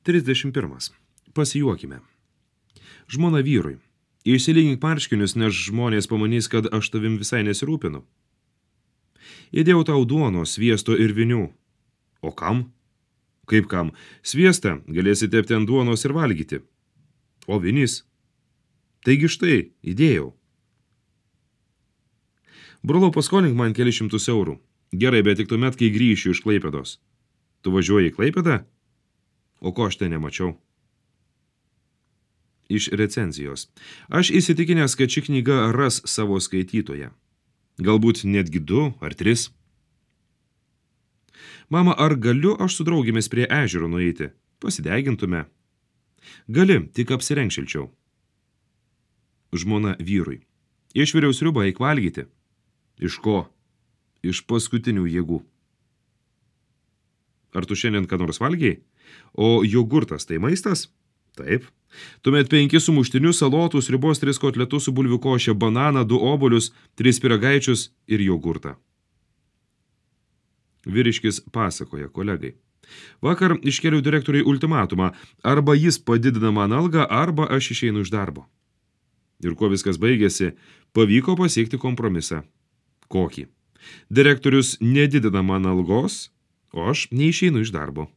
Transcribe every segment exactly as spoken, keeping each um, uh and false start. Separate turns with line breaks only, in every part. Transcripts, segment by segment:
trisdešimt pirmas. Pasijuokime. Žmona vyrui. Išsilygink marškinius, nes žmonės pamanys, kad aš tavim visai nesirūpinu. Įdėjau tau duonos, sviesto ir vinių. O kam? Kaip kam? Sviestą galėsi tepti ant duonos ir valgyti. O vinys? Taigi štai, įdėjau. Brolau, paskolink man keli šimtus eurų. Gerai, bet tik tuomet, kai grįšiu iš Klaipėdos. Tu važiuoji į Klaipėdą? O ko aš ten nemačiau? Iš recenzijos. Aš įsitikinęs, kad ši knyga ras savo skaitytoją. Galbūt netgi du ar tris. Mama, ar galiu aš su draugėmis prie ežero nueiti? Pasidegintume. Gali, tik apsirenk šilčiau. Žmona vyrui. Išviriau sriubą, eik valgyti. Iš ko? Iš paskutinių jėgų. Ar tu šiandien ką nors valgiai? O jogurtas tai maistas? Taip. Tuomet penki sumuštinius, salotų, sriubos, tris kotletus su bulvių koše, bananą, du obuolius, tris pyragaičius ir jogurtą. Vyriškis pasakoja kolegai. Vakar iškėliau direktoriui ultimatumą. Arba jis padidina man algą, arba aš išeinu iš darbo. Ir kuo viskas baigėsi, pavyko pasiekti kompromisą. Kokį? Direktorius nedidina man algos, o aš neišeinu iš darbo.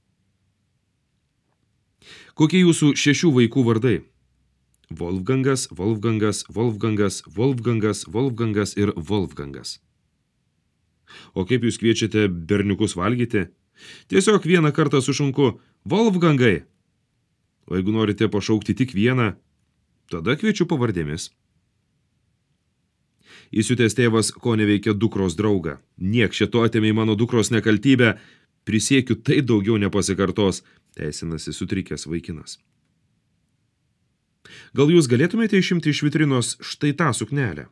Kokie jūsų šešių vaikų vardai? Wolfgangas, Wolfgangas, Wolfgangas, Wolfgangas, Wolfgangas ir Wolfgangas. O kaip jūs kviečiate berniukus valgyti? Tiesiog vieną kartą sušunku Wolfgangai. O jeigu norite pašaukti tik vieną, tada kviečiu pavardėmis. Įsiutęs tėvas, ko neveikia dukros draugą. Niek šito atėmė mano dukros nekaltybę. Prisiekiu, tai daugiau nepasikartos, teisinasi sutrikęs vaikinas. Gal jūs galėtumėte išimti iš vitrinos štai tą suknelę?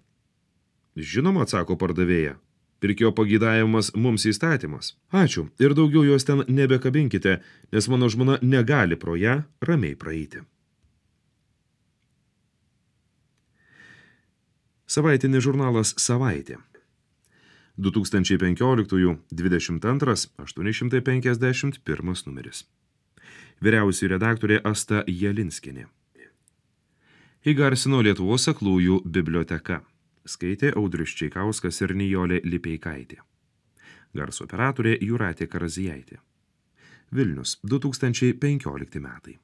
Žinoma, atsako pardavėja. Pirkėjo pageidavimas mums įstatymas. Ačiū, ir daugiau jos ten nebekabinkite, nes mano žmona negali pro ją ramiai praeiti. Savaitinis žurnalas Savaitė. du tūkstančiai penkioliktųjų dvidešimt antras aštuoni šimtai penkiasdešimt pirmas numeris. Vyriausioji redaktorė Asta Jelinskienė. Įgarsino Lietuvos aklųjų biblioteka. Skaitė Audrius Čeikauskas ir Nijolė Lipeikaitė. Garso operatorė Jūratė Karazijaitė. Vilnius, du tūkstančiai penkiolikti metai.